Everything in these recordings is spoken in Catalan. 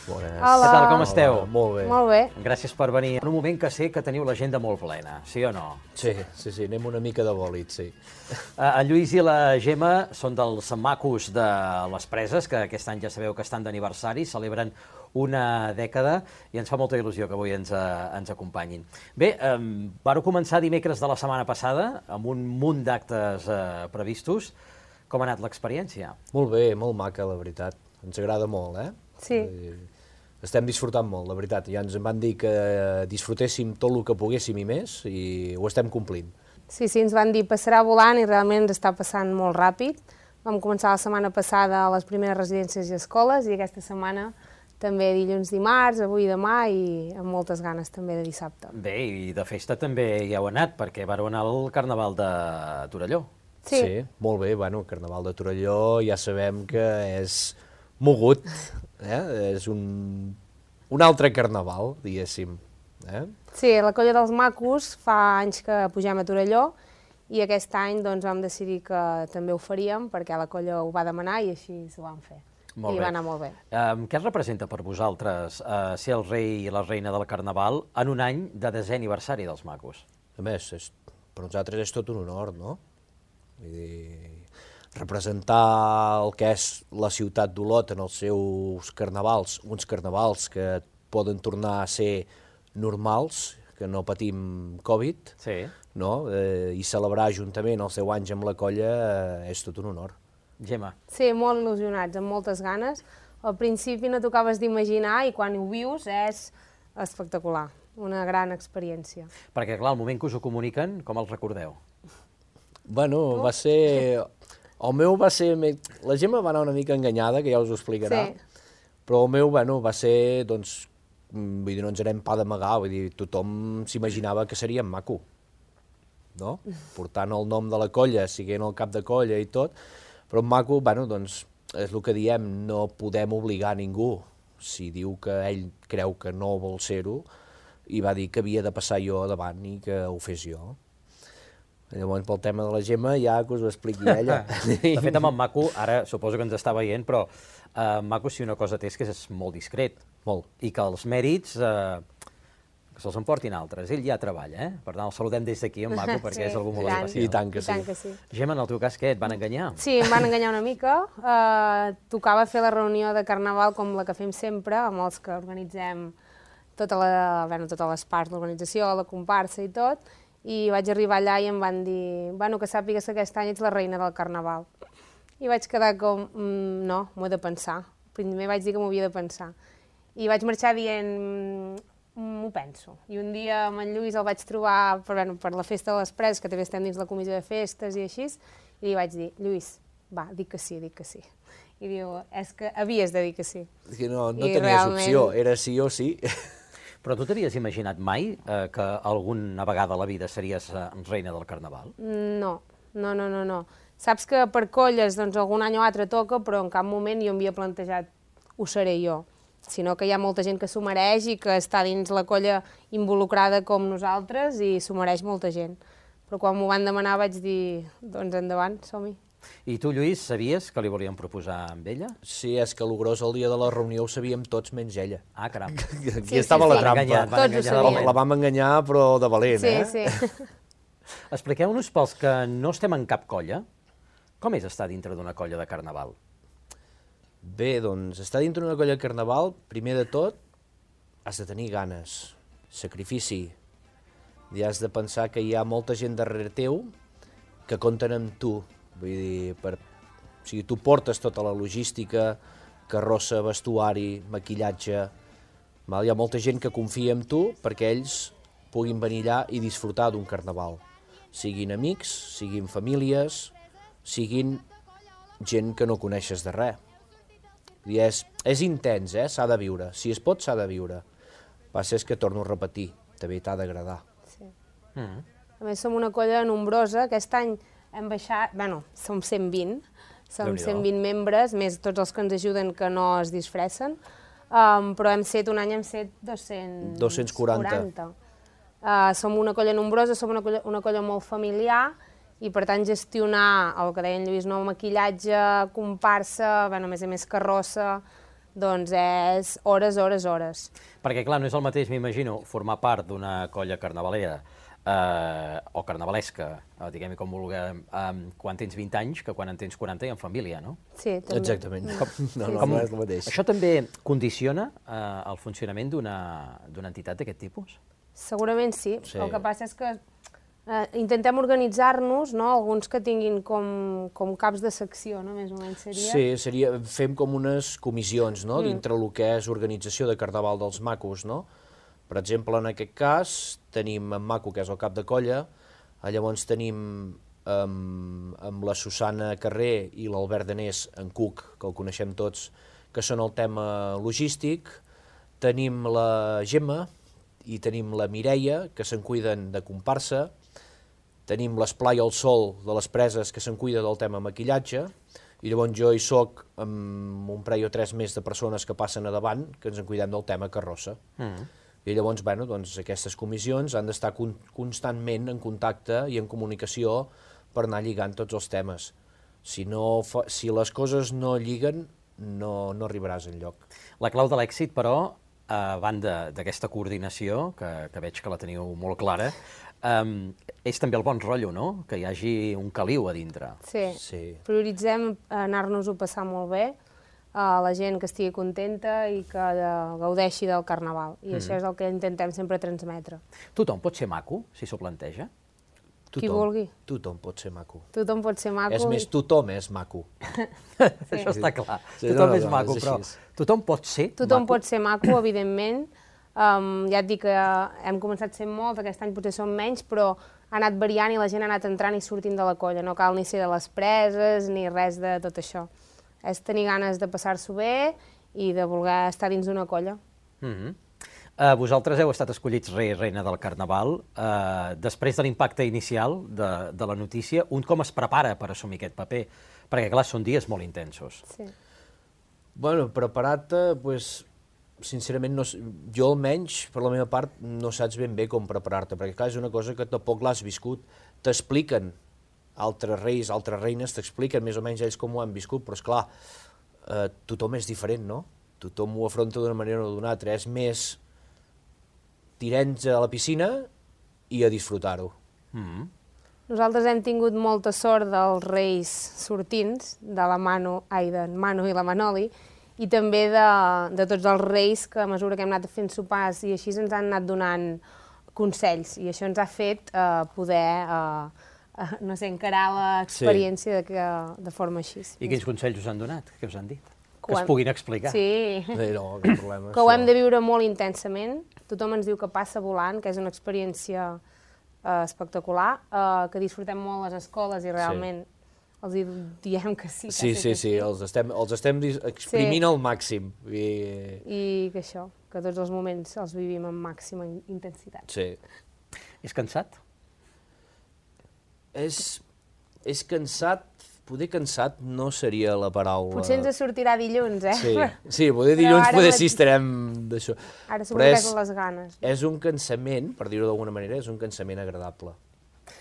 Bones. Hola. Què tal, com esteu? Molt bé. Molt bé. Gràcies per venir. En un moment que sé que teniu l'agenda molt plena, sí o no? Sí, anem una mica de bòlit, sí. En Lluís i la Gemma són dels macos de les Preses, que aquest any ja sabeu que estan d'aniversari, celebren una dècada i ens fa molta il·lusió que avui ens acompanyin. Bé, vau començar dimecres de la setmana passada amb un munt d'actes previstos. Com ha anat l'experiència? Molt bé, molt maca, la veritat. Ens agrada molt, eh? Sí. Estem disfrutant molt, la veritat. Ja ens van dir que disfrutéssim tot el que poguéssim i més, i ho estem complint. Sí, ens van dir passarà volant i realment ens està passant molt ràpid. Vam començar la setmana passada a les primeres residències i escoles i aquesta setmana també dilluns, dimarts, avui i demà i amb moltes ganes també de dissabte. Bé, i de festa també hi heu anat, perquè vareu anar al Carnaval de Torelló. Sí, molt bé. Bueno, el Carnaval de Torelló ja sabem que és mogut, és un altre carnaval, diguéssim. Sí, la Colla dels Macos fa anys que pugem a Torelló i aquest any doncs, vam decidir que també ho faríem perquè la colla ho va demanar i així ho vam fer. I va anar molt bé. Què representa per vosaltres ser el rei i la reina del Carnaval en un any de 10è aniversari dels Macos? A més, per nosaltres és tot un honor, no? Vull dir, representar el que és la ciutat d'Olot en els seus carnavals, uns carnavals que poden tornar a ser normals, que no patim Covid, no? I celebrar juntament els 10 anys amb la colla és tot un honor. Gemma. Sí, molt il·lusionats, amb moltes ganes. Al principi no t'acabaves d'imaginar i quan ho vius és espectacular, una gran experiència. Perquè, clar, el moment que us ho comuniquen, com els recordeu? Bueno, va ser... El meu va ser... La Gemma va anar una mica enganyada, que ja us ho explicarà, però el meu, bueno, va ser, doncs, vull dir, no ens anem pa d'amagar, vull dir, tothom s'imaginava que seria maco, no? Portant el nom de la colla, siguent el cap de colla i tot, però maco, bueno, doncs, és el que diem, no podem obligar a ningú. Si diu que ell creu que no vol ser-ho, i va dir que havia de passar jo davant i que ho fes jo. Llavors, pel tema de la Gemma, ja que us ho expliqui ella. De fet, amb en Maco, ara suposo que ens està veient, però Maco, si una cosa té és que és molt discret. Molt. I que els mèrits que se'ls emportin altres. Ell ja treballa, Per tant, el saludem des d'aquí, en Maco, perquè és algú molt especial. I tant que sí. Gemma, en el teu cas, què? Et van enganyar? Sí, em van enganyar una mica. Tocava fer la reunió de Carnaval com la que fem sempre, amb els que organitzem totes les parts de l'organització, la comparsa i tot, i vaig arribar allà i em van dir que sàpigues que aquest any ets la reina del Carnaval. I vaig quedar com, no, m'ho he de pensar. Primer vaig dir que m'ho havia de pensar. I vaig marxar dient, m'ho penso. I un dia amb en Lluís el vaig trobar per la festa de les Preses, que també estem dins la comissió de festes i així, i li vaig dir, Lluís, va, dic que sí. I diu, és que havies de dir que sí. Que no tenies opció, era sí o sí. Però tu t'havies imaginat mai que alguna vegada a la vida series reina del Carnaval? No. Saps que per colles doncs, algun any o altre toca, però en cap moment jo m'havia plantejat ho seré jo, sinó que hi ha molta gent que s'ho mereix i que està dins la colla involucrada com nosaltres i s'ho mereix molta gent. Però quan m'ho van demanar vaig dir, doncs endavant, som-hi. I tu, Lluís, sabies que li volien proposar amb ella? Sí, és que el gros el dia de la reunió ho sabíem tots menys ella. Ah, caram. Aquí estava la trampa. Tots ho sabien. La vam enganyar, però de valent, Sí. Expliqueu-nos, pels que no estem en cap colla, com és estar dintre d'una colla de Carnaval? Bé, doncs, estar dintre d'una colla de Carnaval, primer de tot, has de tenir ganes, sacrifici, i has de pensar que hi ha molta gent darrere teu que compten amb tu. Vull dir, tu portes tota la logística, carrossa, vestuari, maquillatge, hi ha molta gent que confia en tu perquè ells puguin venir allà i disfrutar d'un carnaval. Siguin amics, siguin famílies, siguin gent que no coneixes de res. És intens, s'ha de viure. Si es pot, s'ha de viure. Va ser que torno a repetir, també t'ha d'agradar. Sí. A més, som una colla nombrosa. Aquest any hem baixat, som 120, som 120 membres, més tots els que ens ajuden que no es disfressen, però un any hem set 240. Som una colla nombrosa, som una colla molt familiar i per tant gestionar el que deia en Lluís, maquillatge, comparsa, a més carrossa, doncs és hores, hores, hores. Perquè, clar, no és el mateix, m'imagino, formar part d'una colla carnavalera o carnavalesca, diguem-hi com vulguem, quan tens 20 anys que quan en tens 40 i en família, no? Sí, també. Exactament. No és el mateix. Això també condiciona el funcionament d'una entitat d'aquest tipus? Segurament sí. Sí. El que passa és que intentem organitzar-nos, no? Alguns que tinguin com caps de secció, no? Més o menys seria. Sí, fem com unes comissions, no?, dintre el que és organització de Carnaval dels Macos, no? Per exemple, en aquest cas, tenim en Maco, que és el cap de colla, llavors tenim amb la Susana Carrer i l'Albert Danés, en Cuc, que el coneixem tots, que són el tema logístic, tenim la Gemma i tenim la Mireia, que se'n cuiden de comparsa, tenim l'Esplai al Sol de les Preses, que se'n cuida del tema maquillatge, i llavors jo hi soc amb un parell o 3 més de persones que passen a davant, que ens en cuidem del tema carrossa. I llavors, bueno, doncs, aquestes comissions han d'estar constantment en contacte i en comunicació per anar lligant tots els temes. Si les coses no lliguen, no arribaràs enlloc. La clau de l'èxit, però, a banda d'aquesta coordinació, que veig que la teniu molt clara, és també el bon rotllo, no?, que hi hagi un caliu a dintre. Sí. Prioritzem anar-nos-ho passar molt bé, a la gent que estigui contenta i que gaudeixi del Carnaval. I això és el que intentem sempre transmetre. Tothom pot ser maco, si s'ho planteja? Qui vulgui. Tothom pot ser maco. Tothom pot ser maco. És més, tothom és maco. Això està clar. Tothom és maco, però tothom pot ser maco? Tothom pot ser maco, evidentment. Ja et dic que hem començat sent molts, aquest any potser som menys, però ha anat variant i la gent ha anat entrant i sortint de la colla. No cal ni ser de les preses ni res de tot això. És tenir ganes de passar-s'ho bé i de voler estar dins d'una colla. Vosaltres heu estat escollits rei i reina del Carnaval. Després de l'impacte inicial de la notícia, un com es prepara per assumir aquest paper? Perquè, clar, són dies molt intensos. Sí. Bueno, preparar-te, doncs, sincerament, jo almenys, per la meva part, no saps ben bé com preparar-te, perquè, clar, és una cosa que tampoc l'has viscut. T'expliquen altres reis, altres reines, t'expliquen més o menys ells com ho han viscut, però, esclar, tothom és diferent, no? Tothom ho afronta d'una manera o d'una altra. És més tirents a la piscina i a disfrutar-ho. Nosaltres hem tingut molta sort dels reis sortints, de la Manu i la Manoli, i també de tots els reis que a mesura que hem anat fent sopars i així ens han anat donant consells, i això ens ha fet poder no sé, encarar l'experiència de forma així. I quins consells us han donat? Què us han dit? Que es puguin explicar. Sí, No, cap problema. que ho hem de viure molt intensament. Tothom ens diu que passa volant, que és una experiència espectacular, que disfrutem molt les escoles i realment els diem que sí. Sí, els estem exprimint al màxim. I que això, que tots els moments els vivim amb màxima intensitat. Sí. És cansat? És cansat, poder cansat no seria la paraula. Potser ens sortirà dilluns, Sí, poder dilluns, poder sí estarem d'això. Ara segur que és les ganes. És un cansament, per dir-ho d'alguna manera, és un cansament agradable.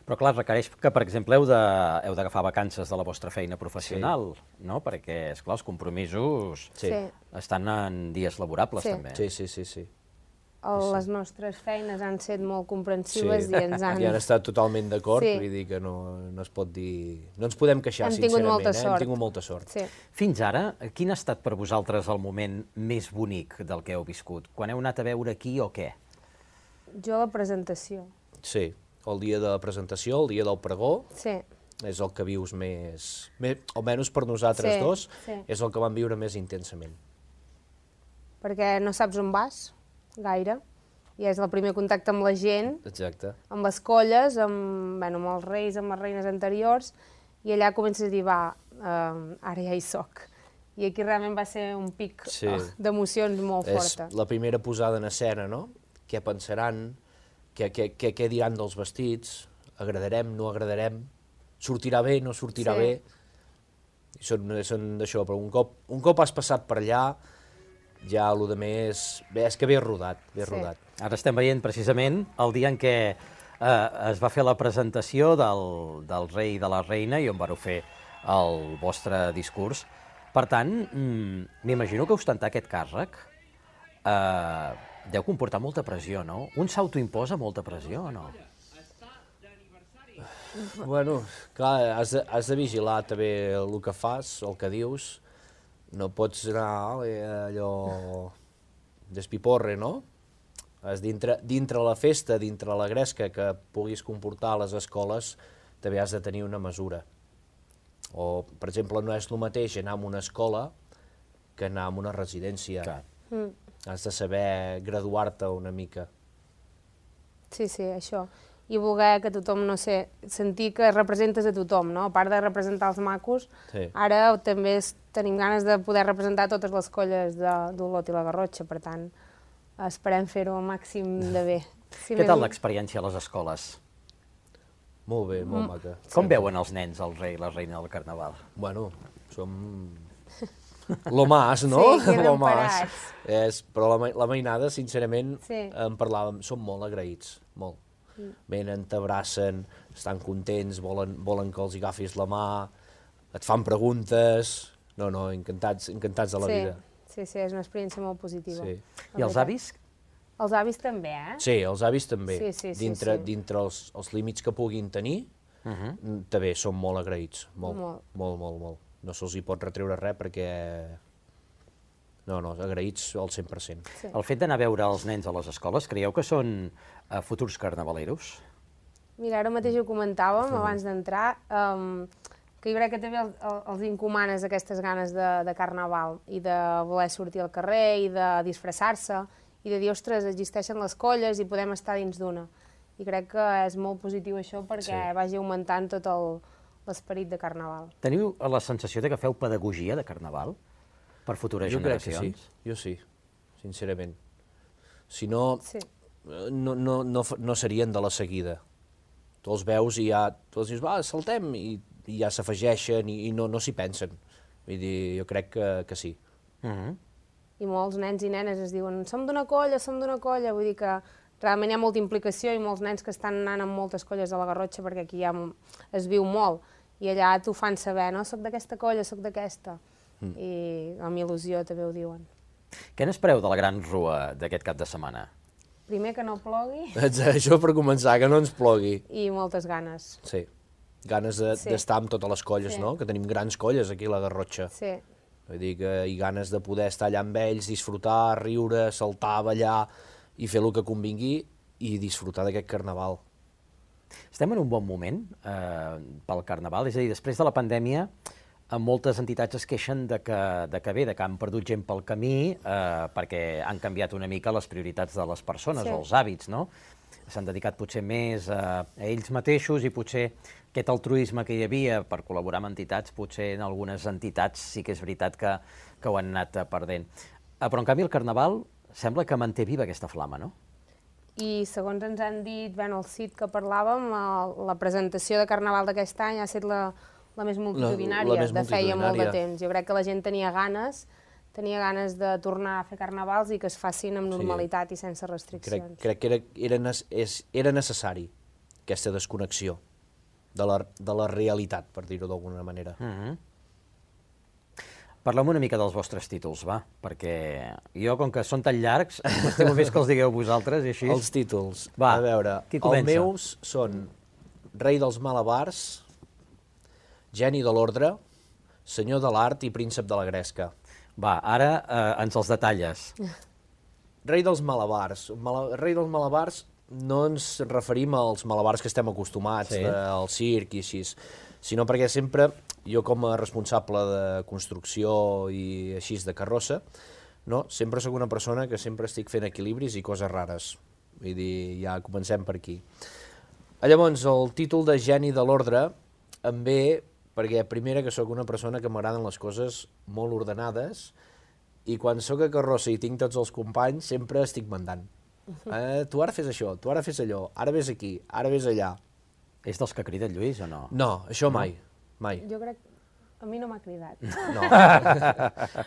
Però clar, requereix que, per exemple, heu d'agafar vacances de la vostra feina professional, no? Perquè, esclar, els compromisos estan en dies laborables, també. Sí. Les nostres feines han estat molt comprensives i ens han... I han estat totalment d'acord, vull dir que no es pot dir... No ens podem queixar, sincerament. Hem tingut molta sort. Fins ara, quin ha estat per vosaltres el moment més bonic del que heu viscut? Quan heu anat a veure qui o què? Jo la presentació. Sí, el dia de la presentació, el dia del pregó, sí. És el que vius més... Almenys per nosaltres dos, és el que vam viure més intensament. Perquè no saps on vas, gaire, i és el primer contacte amb la gent, amb les colles, amb els reis, amb les reines anteriors, i allà comences a dir, ara ja hi soc. I aquí realment va ser un pic d'emocions molt forta. És la primera posada en escena, no? Què pensaran, què diran dels vestits, agradarem, no agradarem, sortirà bé, no sortirà bé. Són d'això, però un cop has passat per allà, ja el més... és que ve rodat, rodat. Ara estem veient precisament el dia en què es va fer la presentació del rei i de la reina i on vareu fer el vostre discurs. Per tant, m'imagino que ostentar aquest càrrec deu comportar molta pressió, no? Un s'autoimposa molta pressió o no? Bueno, clar, has de vigilar també el que fas, el que dius. No pots anar allò despiporre, no? Dintre la festa, dintre la gresca que puguis comportar a les escoles, també has de tenir una mesura. O, per exemple, no és el mateix anar a una escola que anar a una residència. Has de saber graduar-te una mica. Sí, això. I voler que tothom, no sé, sentir que representes a tothom, no? A part de representar els macos, ara també tenim ganes de poder representar totes les colles d'Olot i la Garrotxa, per tant, esperem fer-ho al màxim de bé. Què tal l'experiència a les escoles? Molt bé, molt maca. Com veuen els nens el rei i la reina del Carnaval? Bueno, som lo más, no? Sí, queden parats. Però la mainada, sincerament, en parlàvem, som molt agraïts, molt. Venen, t'abracen, estan contents, volen que els agafis la mà, et fan preguntes... No, encantats de la vida. Sí, és una experiència molt positiva. I els avis? Els avis també, eh? Sí, els avis també. Dintre els límits que puguin tenir, també som molt agraïts, molt. No se'ls hi pot retreure res perquè... No, agraïts al 100%. El fet d'anar a veure els nens a les escoles, creieu que són futurs carnavaleros? Mira, ara mateix ho comentàvem abans d'entrar, que jo crec que també els encomanes aquestes ganes de carnaval i de voler sortir al carrer i de disfressar-se i de dir, ostres, existeixen les colles i podem estar dins d'una. I crec que és molt positiu això perquè vagi augmentant tot l'esperit de carnaval. Teniu la sensació que feu pedagogia de carnaval per futures generacions? Jo sí, sincerament. Si no, no serien de la seguida. Tu els veus i ja, tu els dius, va, saltem, i ja s'afegeixen i no s'hi pensen. Vull dir, jo crec que sí. I molts nens i nenes es diuen, som d'una colla, vull dir que realment hi ha molta implicació i molts nens que estan anant amb moltes colles a la Garrotxa perquè aquí ja es viu molt i allà t'ho fan saber, no? Soc d'aquesta colla, soc d'aquesta. I amb il·lusió també ho diuen. Què n'espereu de la gran rua d'aquest cap de setmana? Primer que no plogui. Això per començar, que no ens plogui. I moltes ganes. Sí, ganes d'estar amb totes les colles, no? Que tenim grans colles aquí a la Garrotxa. Sí. Vull dir que hi ganes de poder estar allà amb ells, disfrutar, riure, saltar, ballar i fer el que convingui i disfrutar d'aquest carnaval. Estem en un bon moment pel carnaval, és a dir, després de la pandèmia moltes entitats es queixen de que han perdut gent pel camí perquè han canviat una mica les prioritats de les persones o els hàbits, no? S'han dedicat potser més a ells mateixos i potser aquest altruisme que hi havia per col·laborar amb entitats, potser en algunes entitats sí que és veritat que ho han anat perdent. Però en canvi el Carnaval sembla que manté viva aquesta flama, no? I segons ens han dit, el CIT que parlàvem, la presentació de Carnaval d'aquest any ha estat la més multitudinària de feia molt de temps. Jo crec que la gent tenia ganes de tornar a fer carnavals i que es facin amb normalitat i sense restriccions. Crec que era necessari aquesta desconnexió de la realitat, per dir-ho d'alguna manera. Parlem una mica dels vostres títols, va, perquè jo, com que són tan llargs, m'estimo més que els digueu vosaltres i així. Els títols, a veure, els meus són Rei dels Malabars, Geni de l'Ordre, Senyor de l'Art i Príncep de la Gresca. Va, ara ens els detalles. Rei dels Malabars. Rei dels Malabars no ens referim als malabars que estem acostumats, al circ i així, sinó perquè sempre, jo com a responsable de construcció i així de carrossa, sempre sóc una persona que sempre estic fent equilibris i coses rares. Vull dir, ja comencem per aquí. Llavors, el títol de Geni de l'Ordre em ve perquè, primera, que sóc una persona que m'agraden les coses molt ordenades i quan sóc a carrossa i tinc tots els companys sempre estic mandant. Tu ara fes això, tu ara fes allò, ara vés aquí, ara vés allà. És dels que crida el Lluís o no? No, això mai, mai. Jo crec... A mi no m'ha cridat.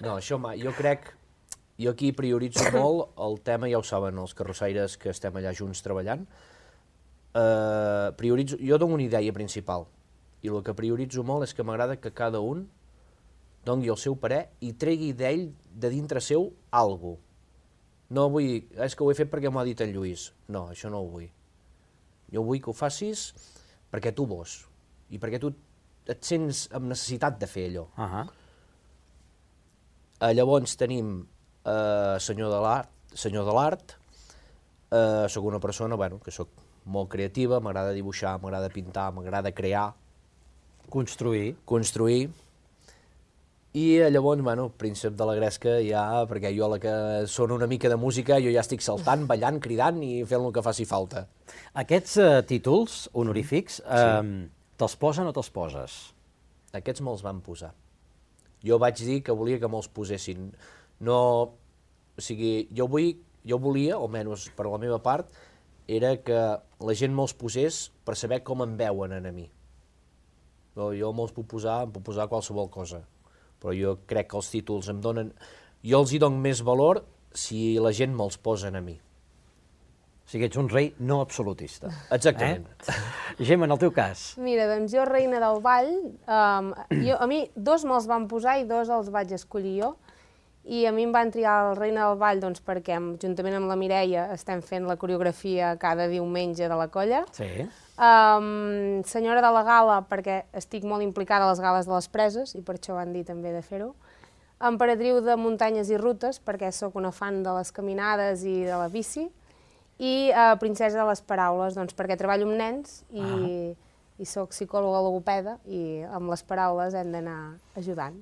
No, això mai. Jo crec... Jo aquí prioritzo molt el tema, ja ho saben els carrossaires que estem allà junts treballant. Jo dono una idea principal. I el que prioritzo molt és que m'agrada que cada un doni el seu parer i tregui d'ell, de dintre seu, alguna cosa. No vull, és que ho he fet perquè m'ho ha dit en Lluís. No, això no ho vull. Jo vull que ho facis perquè tu vols i perquè tu et sents amb necessitat de fer allò. Llavors tenim senyor de l'art. Soc una persona que soc molt creativa, m'agrada dibuixar, m'agrada pintar, m'agrada crear. Construir. I llavors, príncep de la gresca ja, perquè jo la que sona una mica de música, jo ja estic saltant, ballant, cridant i fent el que faci falta. Aquests títols honorífics, te'ls posen o te'ls poses? Aquests me'ls van posar. Jo vaig dir que volia que me'ls posessin. No, o sigui, jo volia, almenys per la meva part, era que la gent me'ls posés per saber com em veuen a mi. Jo me'ls puc posar qualsevol cosa, però jo crec que els títols em donen... Jo els hi dono més valor si la gent me'ls posa a mi. O sigui, ets un rei no absolutista. Exactament. Gemma, en el teu cas? Mira, doncs jo, reina del ball, a mi 2 me'ls van posar i 2 els vaig escollir jo. I a mi em van triar el reina del ball doncs, perquè, juntament amb la Mireia, estem fent la coreografia cada diumenge de la colla. Sí. Senyora de la gala, perquè estic molt implicada a les gales de les preses, i per això van dir també de fer-ho. Emperatriu de muntanyes i rutes, perquè sóc una fan de les caminades i de la bici. I princesa de les paraules, doncs, perquè treballo amb nens i soc psicòloga logopeda i amb les paraules hem d'anar ajudant.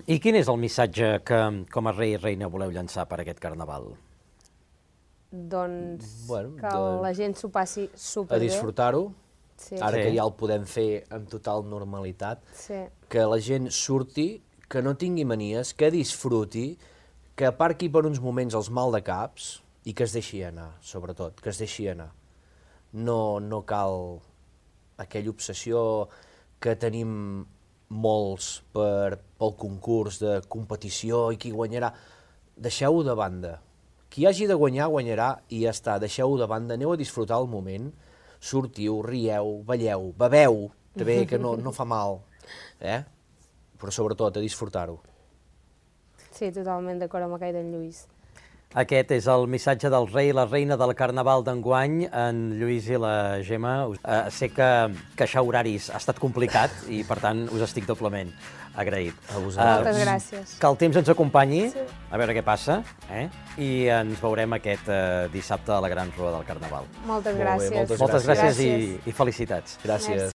I quin és el missatge que com a rei i reina voleu llançar per aquest carnaval? Doncs que la gent s'ho passi superbé. A disfrutar-ho, ara que ja el podem fer amb total normalitat, que la gent surti, que no tingui manies, que disfruti, que aparqui per uns moments els maldecaps i que es deixi anar, sobretot, que es deixi anar. No cal aquella obsessió que tenim molts pel concurs de competició i qui guanyarà. Deixeu-ho de banda. Qui hagi de guanyar, guanyarà i ja està. Deixeu-ho de banda, aneu a disfrutar el moment, sortiu, rieu, balleu, beveu, també, que no fa mal, però sobretot a disfrutar-ho. Sí, totalment d'acord amb aquell d'en Lluís. Aquest és el missatge del rei i la reina del carnaval d'enguany, en Lluís i la Gemma. Sé que queixar horaris ha estat complicat i, per tant, us estic doblement agraït. Moltes gràcies. Que el temps ens acompanyi, a veure què passa, i ens veurem aquest dissabte a la Gran Rua del Carnaval. Moltes gràcies. Moltes gràcies i felicitats. Gràcies.